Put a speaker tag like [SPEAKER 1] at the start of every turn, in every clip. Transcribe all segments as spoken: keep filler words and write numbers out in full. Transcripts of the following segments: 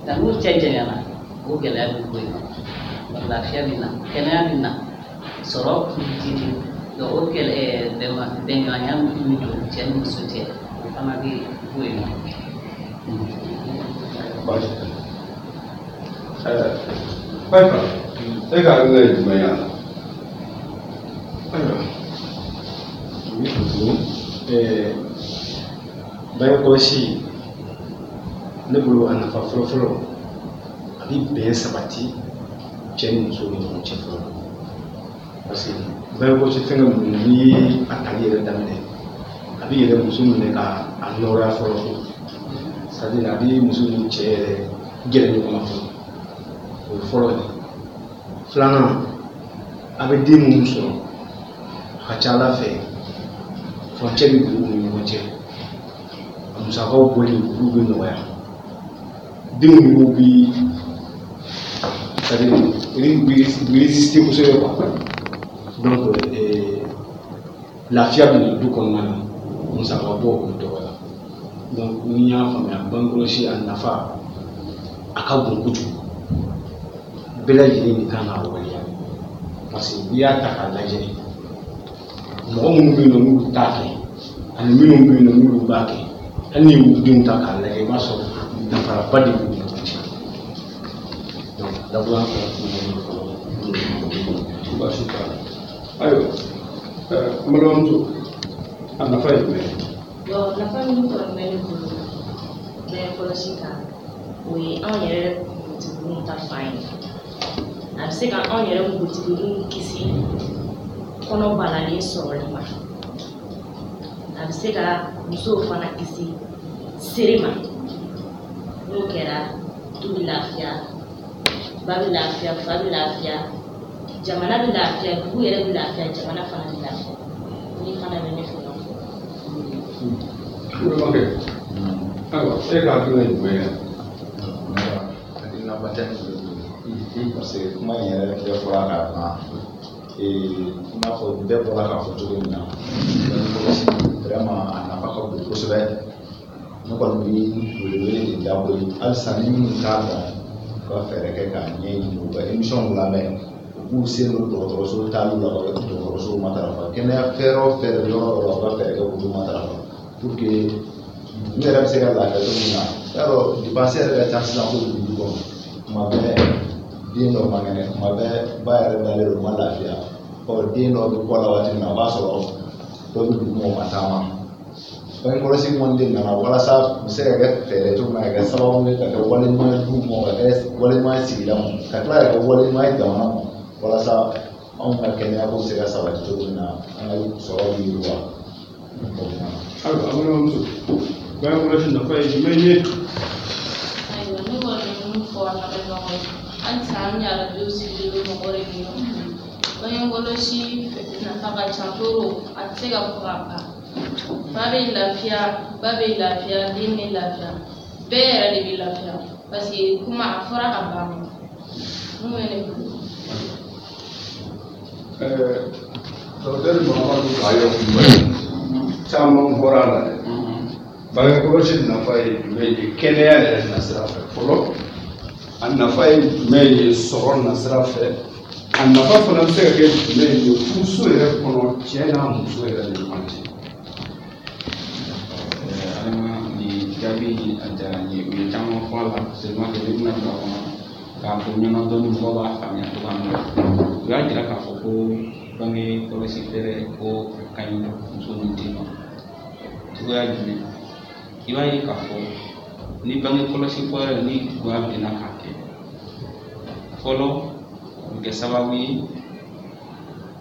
[SPEAKER 1] Nka n'u cɛ janyana, o gɛlɛya bɛ bɔ yen nɔ, lafiya bɛ na, kɛnɛya bɛ na, sɔrɔ bɛ jidi. Donc o gɛlɛ bɛnbɛnɲɔgɔnya min don cɛ ni muso cɛ, o fana bɛ bɔ yen nɔ.
[SPEAKER 2] Baasi tɛ. Ɛɛ Bayifa, e ka hakilina ye jumɛn ye a la?
[SPEAKER 3] Ayiwa, n bɛ fo tuguni. Ɛɛ bange kɔlɔsi, ne bolo, a nafa fɔlɔ-fɔlɔ, a bɛ bɛn sabati cɛ ni muso ni ɲɔgɔn cɛ fɔlɔ, parce que bange kɔlɔsi fɛngɛ ninnu, n'i ye a tali yɛrɛ daminɛ, a bɛ yɛrɛ muso minɛ ka a nɔrɔya fɔlɔ, c'est à dire a bɛ muso ni cɛ yɛrɛ gɛrɛ ɲɔgɔn na fɔlɔ. O ye fɔlɔ ye. Filanan, a bɛ den minnu sɔrɔ, a ka ca Ala fɛ furancɛ bɛ don u ni ɲɔgɔn cɛ, a musakaw bɔli olu bɛ nɔgɔya, denw yɛrɛw bi, c'est à dire u bɛ résister kosɛbɛ quoi. Donc euh, lafiya bɛ na du kɔnɔna na, musaka bɔ o bɛ dɔgɔya. Donc ni y'a faamuya, bange kɔlɔsi a nafa a ka bon kojugu, bɛɛ lajɛlen de kan k'a waleya, parce que n'i y'a ta k'a lajɛ, mɔgɔ minnu bɛ yen nɔ n'olu t'a kɛ ani minnu bɛ yen nɔ n'olu b'a kɛ, hali n'i y'u denw ta k'a lajɛ, i b'a sɔrɔ danfaraba de b'u ni ɲɔgɔn cɛ. Donc dakuruɲa fila tun bɛ ne bolo.
[SPEAKER 2] Baasi t'a la. Ayiwa, ɛɛ n balimamuso, a nafa ye jumɛn ye?
[SPEAKER 4] Bon, nafa min kɔni bɛ ne bolo bange kɔlɔsi kan, o ye anw yɛrɛ npogotigininw ta fan ye. A bɛ se ka anw yɛrɛ npogotigininw kisi kɔnɔ balalen sɔrɔli ma. A bɛ se ka musow fana kisi sere ma. N'o kɛra, du bɛ lafiya, ba bɛ lafiya, fa bɛ lafiya, jamana bɛ lafiya, dugu yɛrɛ bɛ lafiya, jamana fana bɛ lafiya. Ni fana bɛ ne fɛ ka fɔ.
[SPEAKER 2] Balimakɛ, ayiwa, e ka hakilina ye jumɛn ye?
[SPEAKER 5] Hakilinaba tɛ ne bolo, parce que kuma in yɛrɛ bɛɛ fɔra k'a ban. I n'a fɔ bɛɛ bɔra k'a fɔ cogo min na, bange kɔlɔsi vraiment a nafa ka bon kosɛbɛ. Ne kɔni bɛ welewele de da koyi halisa, ni minnu t'a dɔn, u ka fɛɛrɛ kɛ k'a ɲɛɲini, u ka émission lamɛn, u k'u sen don dɔgɔtɔrɔso taaliw la, ka dɔgɔtɔrɔsow matarafa, kɛnɛya fɛɛrɛ o fɛɛrɛ yɔrɔ o yɔrɔ, u ka fɛɛrɛ kɛ k'olu matarafa pour que dugu yɛrɛ bɛ se ka lafiya cogo min na. I y'a dɔn, dépense yɛrɛ ka ca sisan kojugu du kɔnɔ. Tuma bɛɛ den dɔ man kɛnɛ, tuma bɛɛ ba yɛrɛ dalen don, ma lafiya. Ɔ den dɔ bɛ kɔ la waati min na, o b'a sɔrɔ dɔ bɛ dugu ma, o ma taama. Bange kɔlɔsi kɔni de nana walasa u bɛ se ka kɛ fɛɛrɛ cogo min na, ka kɛ sababu ye ka kɛ wale ɲuman ye du ma, ka kɛ wale ɲuman ye sigida ma, ka tila ka kɛ wale ɲuman ye jamana ma, walasa anw ka kɛnɛya ko bɛ se ka sabati cogo min na, an ka sɔrɔ bɛ yiriwa.
[SPEAKER 2] Ayiwa, an balimamuso, bange kɔlɔsi nafa ye jumɛn ye?
[SPEAKER 6] Ayiwa, ne kɔni bɛ mun fɔ an lamɛnbagaw ye halisa, an bɛ arajo sigilen bɛ mɔgɔ de ɲini. Bange kɔlɔsi nafa ka ca toro, a tɛ se ka fɔ ka ban. Fa bɛ lafiya, ba bɛ lafiya, den bɛ lafiya, bɛɛ yɛrɛ de bɛ lafiya, parce que kuma a fɔra ka ban. Mun bɛ ne bolo?
[SPEAKER 2] Ɛɛ docteur Mahamadu Bayo Kulubali, caman bɔra a la dɛ. Bange kɔlɔsi nafa ye jumɛn ye kɛnɛya yɛrɛ nasira fɛ fɔlɔ? A nafa ye jumɛn ye sɔrɔ nasira fɛ? A nafa fana bɛ se ka kɛ jumɛn ye furuso yɛrɛ kɔnɔ, cɛ n'a muso yɛrɛ ni ɲɔgɔn cɛ?
[SPEAKER 7] Adama, nin jaabi in a diyara n ye. U ye caman fɔ a la, seulement que ne bɛna don a kɔnɔ k'a fɔ ɲɛna dɔɔni, mɔgɔw b'a faamuya cogoya min na. U y'a jira k'a fɔ ko bange kɔlɔsi fɛɛrɛ ko a ka ɲi muso ni den ma cogoya jumɛn? I b'a ye k'a fɔ ni bange kɔlɔsi fɛɛrɛ ni goya benna k'a kɛ fɔlɔ, o bɛ kɛ sababu ye.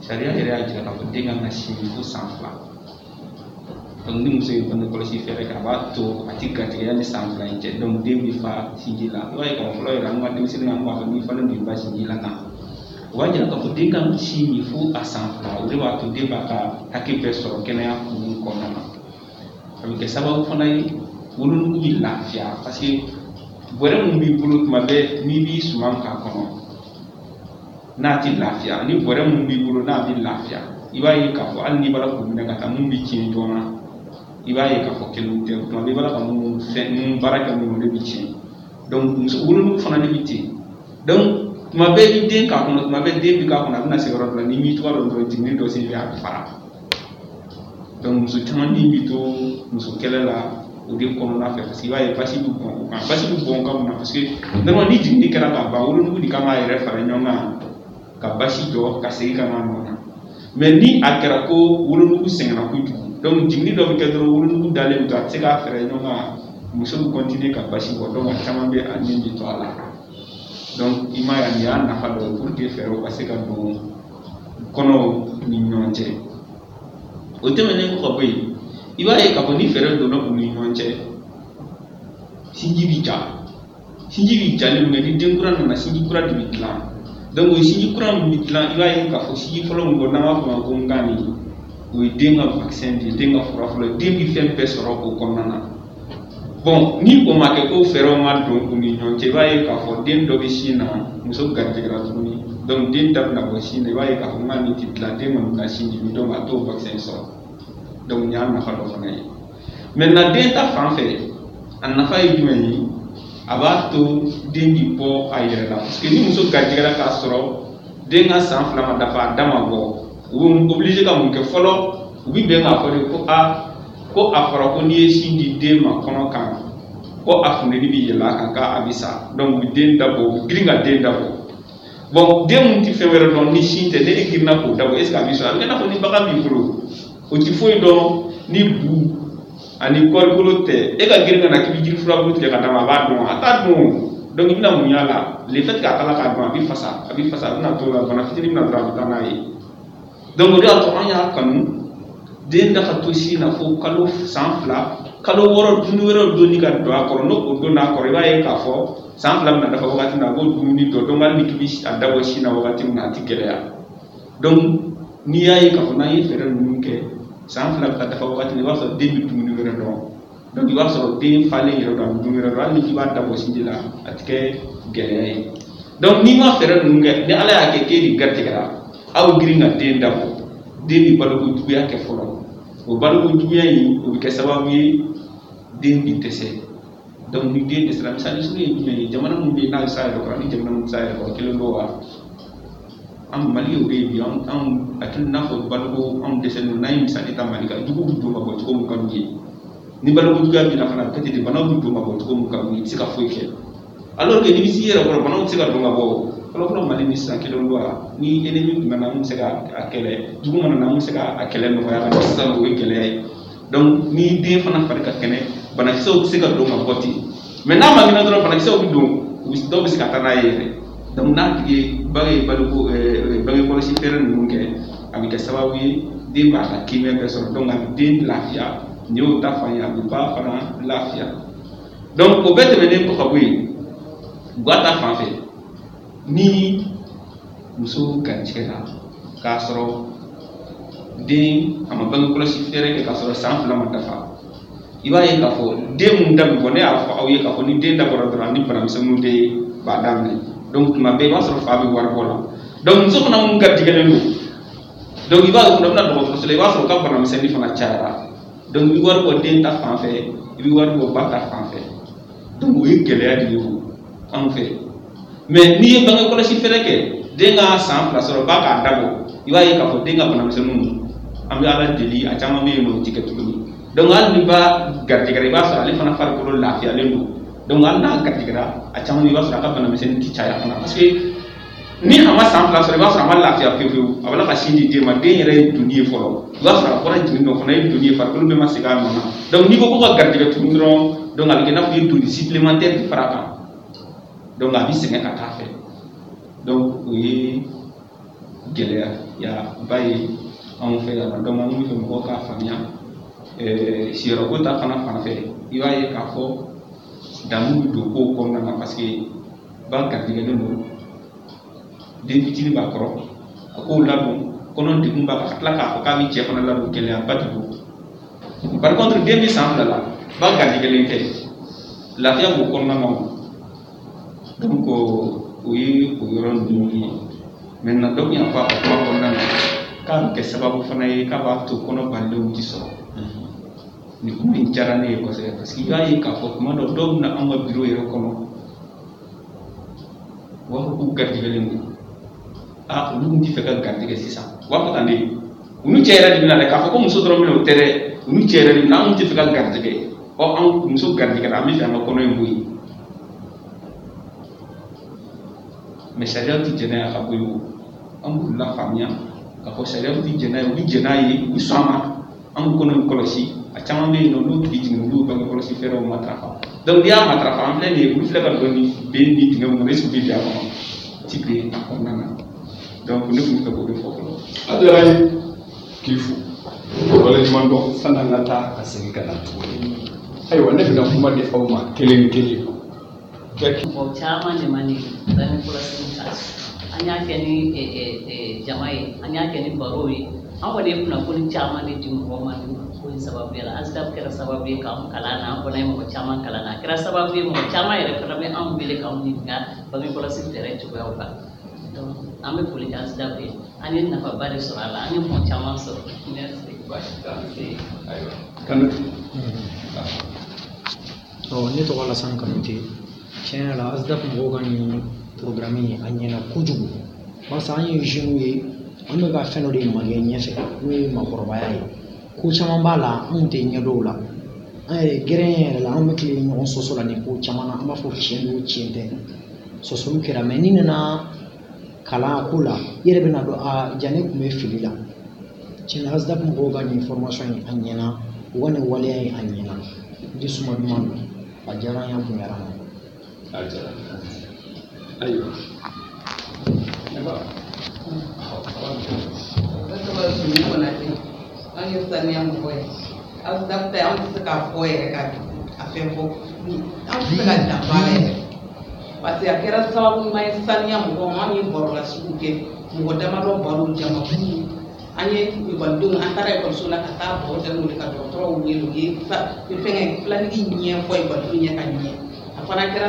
[SPEAKER 7] Sariya yɛrɛ y'a jira k'a fɔ den kan ka sin min fo san fila. Donc ni muso ye bange kɔlɔsi fɛɛrɛ kɛ, a b'a to a ti garijɛgɛya ni san fila in cɛ. Donc den bɛ fa sinji la. I b'a ye k'a fɔ fɔlɔ yɛrɛ, an ka denmisɛnnin, an b'a fɔ n'i falen don i ba sinji la tan. O b'a jira k'a fɔ den kan sin min fo a san fila. O de b'a to den b'a ka hakɛ bɛɛ sɔrɔ kɛnɛya kun kɔnɔna na. A bɛ kɛ sababu fana ye, wolonugu bɛ lafiya, parce que bɔrɛ mun b'i bolo tuma bɛɛ n'i b'i suman k'a kɔnɔ, n'a ti lafiya, ni bɔrɛ mun b'i bolo n'a bɛ lafiya, i b'a ye k'a fɔ hali n'i b'a la k'o minɛ ka taa, mun bɛ tiɲɛ joona, i b'a ye k'a fɔ kelenw tɛ. Tuma bɛɛ i b'a la ka mun fɛn mun baara kɛ mun, o de bɛ tiɲɛ. Donc muso wolonugu fana de bɛ ten. Donc tuma bɛɛ i den k'a kɔnɔ, tuma bɛɛ den bɛ k'a kɔnɔ, a bɛna se yɔrɔ dɔ la n'i m'i tɔgɔ dɔn dɔrɔn jiginni dɔ sen fɛ a bɛ fara. Donc muso caman min bɛ to muso kɛlɛ la o de kɔnɔna fɛ, parce que i b'a ye basi bɛ bɔn o kan, basi bɛ bɔn o kan mun na, parce que normalement ni jiginni kɛra ka ban, wolonugu de kan k'a yɛrɛ fara ɲɔgɔn kan ka basi jɔ ka segin ka na a nɔ na. Mais ni a kɛra ko wolonugu sɛgɛnna kojugu, donc jiginni dɔ bɛ kɛ dɔrɔn wolonugu dalen bɛ to, a tɛ se k'a fɛrɛ ɲɔgɔn kan, muso bɛ continuer ka basi bɔ, donc a caman bɛ a nin bɛ to a la. Donc i m'a ye, nin y'a nafa dɔ ye pour que fɛɛrɛw ka se ka don kɔnɔw ni ɲɔgɔn cɛ. O tɛmɛnen kɔ ka bɔ yen, i b'a ye k'a fɔ ni fɛɛrɛ donna u ni ɲɔgɔn cɛ, sinji bi ja. Sinji bi jalen min kɛ, ni den kura nana, sinji kura de bɛ dilan. Donc o sinji kura min bɛ dilan, i b'a ye k'a fɔ sinji fɔlɔ min bɔ n'an b'a fɔ o ma ko ngani, o ye den ka vaccin de ye, den ka fura fɔlɔ ye, den bɛ fɛn bɛɛ sɔrɔ o kɔnɔna na. Bon, ni o ma kɛ ko fɛɛrɛw ma don u ni ɲɔgɔn cɛ, i b'a ye k'a fɔ den dɔ bɛ sin na, muso garijɛgɛra tuguni, donc den da bɛna bɔ sin na, i b'a ye k'a fɔ ngani tɛ dilan, den kɔni bɛna sin di, donc a t'o vaccin sɔrɔ. Donc nin y'a nafa dɔ fana ye. Maintenant den ta fan fɛ, a nafa ye jumɛn ye? A b'a to den bi bɔ a yɛrɛ la, parce que ni muso garijɛgɛra k'a sɔrɔ den ka san fila ma dafa, a da ma bɔ, u bɛ obligé ka mun kɛ fɔlɔ? U bɛ bɛn k'a fɔ de ko a ko a fɔra ko n'i ye sin di den ma kɔnɔ kan, ko a funteni bɛ yɛlɛ a kan k'a bɛ sa. Donc u bɛ den dabɔ, u bɛ girin ka den dabɔ. Bon, den mun tɛ fɛn wɛrɛ dɔn ni sin tɛ, ne e girinna k'o dabɔ, est ce que a bɛ sɔrɔ? A bɛ kɛ i n'a fɔ ni bagan b'i bolo, o ti foyi dɔn ni bu ani kɔrikolo tɛ, e ka girin ka na k'i bɛ jiri furabulu tigɛ ka d'a ma, a b'a dɔn, a t'a dɔn. Donc i bɛna mun y'a la? Le fait k'a kala k'a dɔn, a bɛ fasa, a bɛ fasa, a bɛna t'o la, bana fitinin bɛna dɔrɔn a bɛ taa n'a ye. Donc o de y'a to an y'a kanu den da ka to sin na fo kalo san fila, kalo wɔɔrɔ, dumuni wɛrɛw donni ka don a kɔrɔ. N'o o donna a kɔrɔ, i b'a ye k'a fɔ san fila bɛna dafa wagati min na, a b'o dumuni dɔn. Donc hali ni k'i bɛ a dabɔ sin na wagati min na, a ti gɛlɛya. Donc n'i y'a ye k'a fɔ n'an ye fɛɛrɛ ninnu kɛ, san fila bɛ taa dafa wagati min na, i b'a sɔrɔ den bɛ dumuni wɛrɛ dɔn. Donc i b'a sɔrɔ den falen yɛrɛ dɔn, a bɛ dumuni wɛrɛ dɔn, hali ni k'i b'a dabɔ sinji la, a ti kɛ gɛlɛya ye. Donc n'i ma fɛɛrɛ ninnu kɛ, ni Ala y'a kɛ k'e de garijɛgɛra, aw girin ka den dabɔ, den bɛ baloko juguya kɛ fɔlɔ. O baloko juguya in, o bɛ kɛ sababu ye den bɛ dɛsɛ. Donc ni den dɛsɛra, misali surun ye jumɛn ye? Jamana min bɛ yen n'a bɛ s'a yɛrɛ kɔrɔ, ni jamana min tɛ s'a yɛrɛ kɔrɔ, kelen don wa? An Mali y'o de ye bi, anw anw a tɛ n'a fɔ baloko anw dɛsɛlen don. N'an ye misali ta Mali kan, juguw bɛ don ka bɔ cogo min ka d'u ye. Ni baloko juguya b'i la fana, a bɛ kɛ ten de, banaw bɛ don ka bɔ cogo min ka d'u ye, i tɛ se ka foyi kɛ. Alors que n'i bɛ s'i yɛrɛ kɔrɔ, banaw tɛ se ka don ka bɔ. Fɔlɔfɔlɔ Mali ni sisan kelen don wa? Ni ennemi tun nana, an bɛ se ka a kɛlɛ, jugu mana na, an bɛ se ka a kɛlɛ nɔgɔya ka sisan, o ye gɛlɛya ye. Donc ni den fana fari ka kɛnɛ, banakisɛw tɛ se ka don ka bɔ ten. Mais n'a ma kɛnɛ dɔrɔn, banakisɛw bɛ don, dɔw bɛ se ka taa n'a ye yɛrɛ. Donc n'a tigi ye bange ye baloko bange kɔlɔsi fɛɛrɛ ninnu kɛ, a bɛ kɛ sababu ye den b'a ka kiimɛ bɛɛ sɔrɔ. Donc a bɛ den lafiya, nin y'o ta fan ye, a bɛ ba fana lafiya. Donc o bɛɛ tɛmɛnen kɔ ka bɔ yen, ga ta fan fɛ, ni muso garijɛgɛra k'a sɔrɔ den a ma bange kɔlɔsi fɛɛrɛ kɛ k'a sɔrɔ san fila ma dafa, i b'a ye k'a fɔ den mun da bɛ bɔ, ne y'a fɔ aw ye k'a fɔ ni den dabɔra dɔrɔn, ni banamisɛnninw de b'a daminɛ. Donc tuma bɛɛ i b'a sɔrɔ fa bɛ wari bɔ la. Donc muso fana mun garijɛgɛlen don, donc i b'a ye o fana bɛna dɔgɔtɔrɔso la, i b'a sɔrɔ o ka banamisɛnnin fana cayara. Donc i bɛ wari bɔ den ta fan fɛ, i bɛ wari bɔ ba ta fan fɛ. Donc o ye gɛlɛya de ye o anw fɛ. Mais n'i ye bange kɔlɔsi fɛɛrɛ kɛ, den ka san fila sɔrɔ, ba k'a dabɔ, i b'a ye k'a fɔ den ka banamisɛnninw, an bɛ Ala deli, a caman bɛ yen nɔ o ti kɛ tuguni. Donc hali ni ba garijɛgɛra, i b'a sɔrɔ ale fana farikolo lafiyalen don. Donc hali n'a garijɛgɛra, a caman bɛ yen, i b'a sɔrɔ a ka banamisɛnnin ti caya fana, parce que ni a ma san fila sɔrɔ, i b'a sɔrɔ a ma lafiya pewu pewu, a b'a la ka sin di den ma, den yɛrɛ ye doni ye fɔlɔ, i b'a sɔrɔ a bɔra jigin dɔ fana ye doni ye, farikolo bɛɛ ma segin a nɔ na. Donc n'i ko ko ka garijɛgɛ tuguni dɔrɔn, donc a bɛ kɛ i n'a fɔ i ye doni supplémentaire de fara a kan. Donc a bɛ sɛgɛn ka taa fɛ. Donc o ye gɛlɛya ya ba ye anw fɛ yan. Donc an bɛ fɛ mɔgɔw k'a faamuya. Ɛɛ siyɔrɔko ta fana fan fɛ, i b'a ye k'a fɔ damu bɛ don kow kɔnɔna na, parce que ba garijɛgɛlen don, den fitinin b'a kɔrɔ, a k'o ladon, kɔnɔ degun b'a kan, ka tila k'a fɔ k'a bɛ cɛ fana ladon, gɛlɛyaba de don. Par contre den bɛ san fila la, ba garijɛgɛlen tɛ, lafiya b'o kɔnɔna na o. Donc o ye o yɔrɔ ninnu ye. Maintenant dɔ tun y'a fɔ a ka kuma kɔnɔna na k'a bɛ kɛ sababu fana ye k'a b'a to kɔnɔ balilenw ti sɔrɔ. Nin kuma in diyara ne ye kosɛbɛ, parce que i b'a ye k'a fɔ tuma dɔ dɔw bɛ na anw ka biro yɛrɛ kɔnɔ, k'u garijɛgɛlen don aa olu tun tɛ fɛ ka garijɛgɛ sisan u b'a fɔ tan de u n'u cɛ yɛrɛ de bɛ na dɛ k'a fɔ ko muso dɔrɔn bɛ na o tɛ dɛ u n'u cɛ yɛrɛ de bɛ na anw tɛ fɛ ka garijɛgɛ ɔ anw muso garijɛgɛra an bɛ fɛ an ka kɔnɔ in bɔ yen mɛ sariyaw tɛ jɛn n'a ye a ka bɔ yen o an b'u lafaamuya k'a fɔ sariyaw tɛ jɛn n'a ye u bɛ jɛn n'a ye u bɛ sɔn a ma an b'u kɔnɔ in kɔlɔsi a caman bɛ yen nɔ n'u tigi jiginna olu bange kɔlɔsi fɛɛrɛw matarafa donc n'i y'a matarafa an filɛ nin ye olu filɛ ka don nin ben ni dingɛ min kɔnɔ est ce que u bɛ bin a kɔnɔ ti bin a kɔnɔna na donc ne tun bɛ fɛ k'o de fɔ fɔlɔ.
[SPEAKER 2] A diyara n ye k'i fo waleɲuman dɔn sani an ka taa ka segin ka na tuguni ayiwa ne bɛna kuma di aw ma kelen kelen.
[SPEAKER 1] Mɔgɔ caman de ma nin bange kɔlɔsi kan an y'a kɛ ni jama ye an y'a kɛ ni barow ye an kɔni ye kunnafoni caman de di mɔgɔw ma nin ko in sababu la ASDAP kɛra sababu ye k'anw kalan na an fana ye mɔgɔ caman kalan na a kɛra sababu ye mɔgɔ caman yɛrɛ fana bɛ anw wele k'anw ɲininka bange kɔlɔsi fɛɛrɛ cogoyaw kan donc an bɛ foli kɛ ASDAP ye an ye nafaba de sɔrɔ a la an ye mɔgɔ caman sɔrɔ merci.
[SPEAKER 2] Ayiwa Kanute.
[SPEAKER 8] Ɔ ne tɔgɔ Alassane Kanute. Tiɲɛ yɛrɛ la ASDAP mɔgɔw ka nin programme in a ɲɛna kojugu barisa an ye jeunes ye an bɛ ka fɛn dɔ de magɛn ɲɛfɛ n'o ye maakɔrɔbaya ye ko caman b'a la anw tɛ ɲɛ dɔw la an yɛrɛ gɛrɛn yɛrɛ la an bɛ tilen ɲɔgɔn sɔsɔ la nin ko caman na an b'a fɔ tiɲɛ don tiɲɛ tɛ sɔsɔliw kɛra mɛ n'i nana kalan ko la i yɛrɛ bɛna dɔn a ja ne tun bɛ fili la tiɲɛ na ASDAP mɔgɔw ka nin formation in a ɲɛna u ka nin waleya in a ɲɛna di suma duman don a diyara an ye a bonyara an ma.
[SPEAKER 2] A diyara ayiwa ne ba
[SPEAKER 9] ne tɔgɔ ye Sumi Konate an ye saniya mɔgɔ ye ASDAP ta an tɛ se k'a fɔ yɛrɛ ka a fɛn fɔ an tɛ se ka dan bɔ a la yɛrɛ parce que a kɛra sababu ɲuman ye saniya mɔgɔw ma an ye barolasigiw kɛ mɔgɔ damadɔ baro jamakulu an ye ekɔlidenw an taara ekɔliso la ka taa baro kɛ n'olu ye ka dɔgɔtɔrɔw wele u ye fɛngɛ filanigi ɲɛfɔ ekɔlidenw ɲɛ ka ɲɛ a fana kɛra